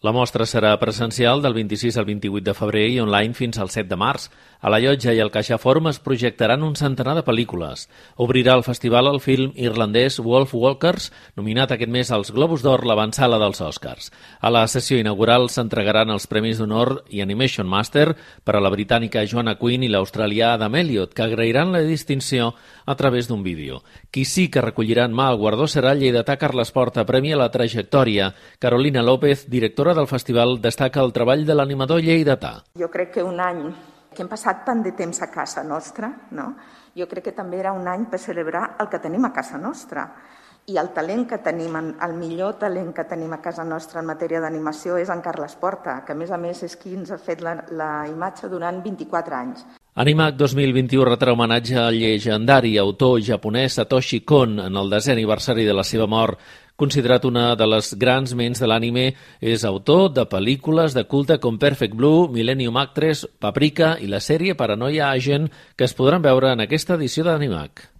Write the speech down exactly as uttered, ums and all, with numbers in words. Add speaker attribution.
Speaker 1: La mostra serà presencial del vint-i-sis al vint-i-vuit de febrer i online fins al set de març. A la Llotja i al CaixaForum es projectaran un centenar de pel·lícules. Obrirà el festival el film irlandès Wolf Walkers, nominat aquest mes als Globus d'Or, l'avantsala dels Oscars. A la sessió inaugural s'entregaran els Premis d'Honor i Animation Master per a la britànica Joanna Quinn i l'australià Adam Elliot, que agrairan la distinció a través d'un vídeo. Qui sí que recollirà en mà el guardó serà el lleidatà Carles Porta, premi a la trajectòria. Carolina López, directora del festival, destaca el treball de l'animador lleidatà.
Speaker 2: Jo crec que un any que hem passat tant de temps a casa nostra, no? Jo crec que també era un any per celebrar el que tenim a casa nostra. I el talent que tenim, el millor talent que tenim a casa nostra en matèria d'animació és en Carles Porta, que a més a més és qui ens ha fet la, la imatge durant vint-i-quatre anys.
Speaker 1: Animac dos mil vint-i-u retrà homenatge al llegendari autor japonès Satoshi Kon en el desè aniversari de la seva mort. Considerat una de les grans ments de l'anime, és autor de pel·lícules de culte com Perfect Blue, Millennium Actress, Paprika i la sèrie Paranoia Agent, que es podran veure en aquesta edició d'Animac.